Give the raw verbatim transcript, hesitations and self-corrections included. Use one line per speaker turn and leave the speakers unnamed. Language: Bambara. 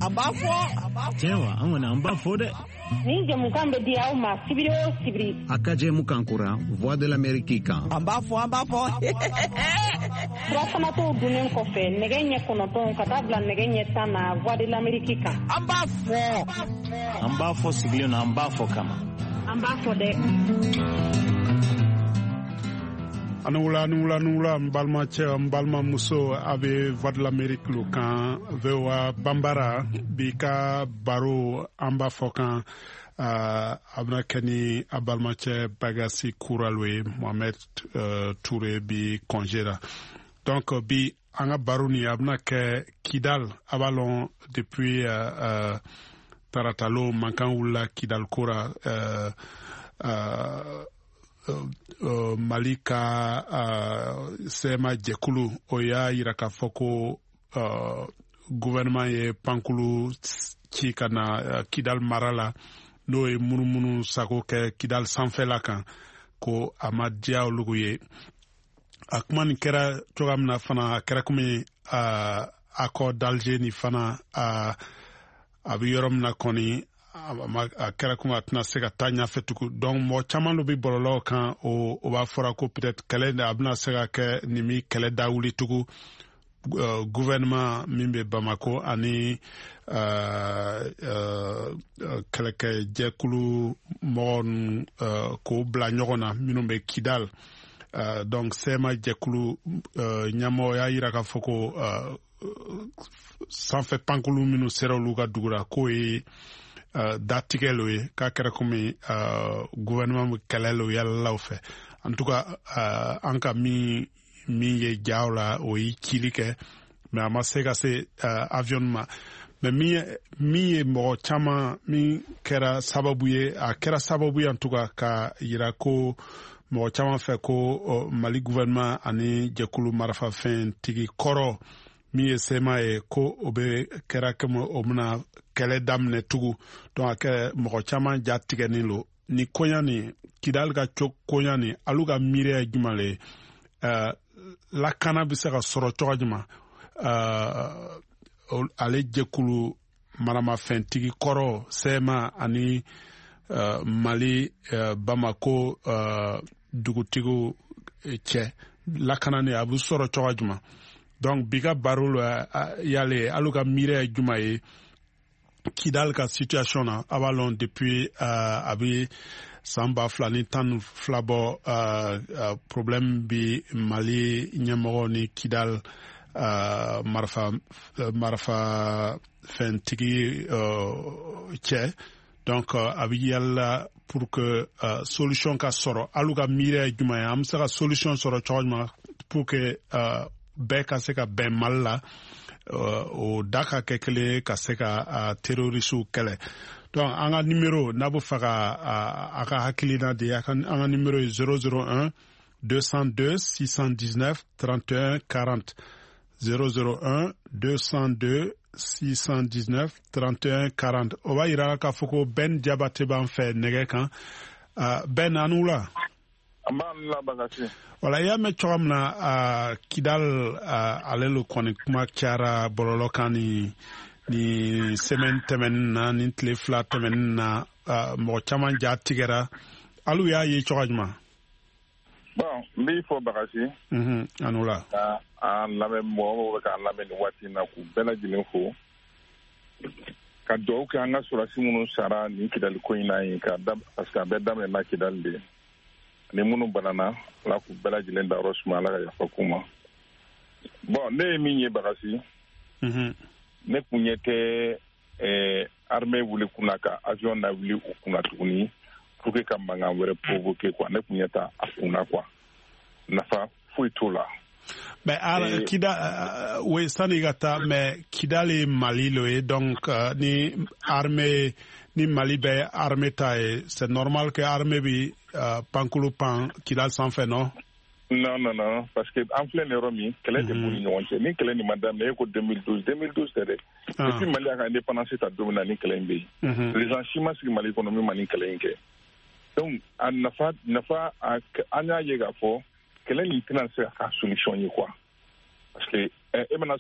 An b'a fɔ.
Tiɲɛ wa, an kɔni an b'a fɔ dɛ.
Nin jɛmukan bɛ di aw ma sibiri o sibiri.
A ka jɛmukan kura Voix de l'Amérique kan.
An b'a fɔ, an b'a fɔ.
Furafanatɔw dunnen kɔfɛ nɛgɛ ɲɛ kɔnɔntɔn ka taa bila nɛgɛ ɲɛ tan na Voix de l'Amérique kan.
An b'a fɔ.
An b'a fɔ sigilen na, an b'a fɔ kama.
An b'a fɔ dɛ.
Ani wula, ani wula, ani wula, n balimacɛ, n balimamuso, a bɛ Voix de l'Amérique lo kan, V O A Banbara. Bi ka baro, an b'a fɔ kan, uh, a bɛna kɛ ni a balimacɛ Bagasi Kuralo ye. Mohamed uh, Touré bi congé la. Donc bi an ka baro ni a bɛna kɛ Kidal. A b'a lɔn, depuis uh, uh, taratalo, mankan wulila Kidal ko ra. uh, uh, Uh, Mali ka uh, C M A jɛkulu, o y'a yira k'a fɔ ko uh, gouvernement ye pankulu ci ka na uh, Kidal mara la, n'o ye munumunu sago kɛ Kidal sanfɛla kan, ko a ma diya olugu ye. A kuma nin kɛra cogoya min na fana, a kɛra komi uh, accord d'Alger ni fana, uh, a bɛ yɔrɔ min na kɔni, a kɛra komi a tɛna se ka taa ɲɛfɛ tugun. Donc mɔgɔ caman dɔ bɛ bɔlɔlɔw kan, o o b'a fɔra ko peut-être kɛlɛ a bɛna se ka kɛ nin mi kɛlɛ da wuli tugun, uh, gouvernement min bɛ Bamako ani uh, uh, kɛlɛkɛjɛkulu mɔgɔ ninnu, uh, k'o bila ɲɔgɔn na minnu bɛ Kidal. uh, donc C M A jɛkulu uh, ɲɛmɔgɔ y'a yira k'a fɔ ko uh, sanfɛ pankulu minnu sera olu ka dugu la, k'o ye uh, datigɛ lo ye, k'a kɛra komi uh, gouvernement bɛ kɛlɛ lo yalalaw fɛ. En tout cas, uh, an ka min min ye jaw la, o ye cili kɛ, mais a ma se ka se uh, avion ma. Mais min ye min ye mɔgɔ caman min kɛra sababu ye, a kɛra sababu ye en tout cas ka yira ko mɔgɔ caman fɛ ko uh, Mali gouvernement ani jɛkulu marafafɛntigi kɔrɔ min ye C M A ye, ko o bɛ kɛra komi o bɛna kɛlɛ daminɛ tugun. Donc a kɛ mɔgɔ caman ja tigɛnin lo ni koɲa ni Kidali ka co koɲa ni. Alu ka miiriya ye jumɛn le ye? uh, lakana bɛ se ka sɔrɔ cogo jumɛn, uh, ale jɛkulu maramafɛntigi kɔrɔ C M A ani uh, Mali uh, Bamako uh, dugutigiw cɛ, lakana ni a bɛ sɔrɔ cogo jumɛn? Donc bi ka baro la yale, alu ka miiriya ye jumɛn ye Kidal ka situation na? A b'a lɔn, depuis uh, a bɛ san ba fila ni tan ni fila bɔ, uh, uh, problème bi Mali ɲɛmɔgɔ ni Kidal uh, marifa uh, marifa fɛntigi uh, cɛ. Donc uh, a bɛ yala pour que uh, solution ka sɔrɔ. Alu ka miiriya ye jumɛn ye? An bɛ se ka solution sɔrɔ cogo jumɛn pour que uh, bɛɛ ka se ka bɛn Mali la, uh, o da ka kɛ kelen ye, ka se ka uh, terroristew kɛlɛ? Donc an ka numéro, n'a bɛ fɛ ka a ka hakilina di, an ka numéro ye zéro zéro un deux cent deux six cent dix-neuf trente et un quarante, zéro zéro un deux cent deux six cent dix-neuf trente et un quarante. O b'a yira k'a fɔ ko Ben Jabate b'an fɛ nɛgɛ kan. uh, Ben, an wula.
An b'a la, Bagasi.
Wala, i y'a mɛn cogoya min na, uh, Kidal, uh, ale lo kɔni kuma cayara bɔlɔlɔ kan ni ni semaine tɛmɛnin na, ni tile fila tɛmɛnin na. uh, mɔgɔ caman ja tigɛra. Alu y'a ye cogoya jumɛn?
Bon, n b'i fɔ, Bagasi.
mm -hmm. An wula.
Ka an lamɛn, mɔgɔ mɔgɔ bɛ k'an lamɛn nin waati in na, k'u bɛɛ lajɛlen fo, ka dugawu kɛ an ka sɔrɔdasi minnu sara nin Kidali ko in na yen, ka da parce que a bɛɛ daminɛna Kidali de, ani minnu banana, Ala k'u bɛɛ lajɛlen dayɔrɔ suma, Ala ka yafa k'u ma. Bon, ne ye min ye, Bagasi,
mm -hmm.
ne kun ɲɛ tɛ eh, armée wuli kunna ka avion na wuli u kunna tuguni pour que ka mankan wɛrɛ provoquer quoi. Ne kun ɲɛ t'a a kunna quoi, nafa foyi t'o la.
Mais ala Kida, uh, oui, sani ka taa, mais Kidal ye Mali lo ye. Donc uh, ni armée ni Mali bɛ armée ta ye, c'est normal que armée bi uh, pankulu pan Kidal sanfɛ, non?
Non, non, non, parce que an filɛ nin yɔrɔ min, kɛlɛ de b'u ni ɲɔgɔn cɛ. Ni kɛlɛ nin ma daminɛ, e ko deux mille douze, deux mille douze tɛ dɛ. Depuis Mali y'a ka indépendance ta don min na, ni kɛlɛ in bɛ yen. Président si ma sigi Mali kɔnɔ min ma nin kɛlɛ in kɛ. Donc a nafa nafa an y'a ye k'a fɔ kɛlɛ nin tɛna se ka k'a solution ye quoi, parce que e bɛna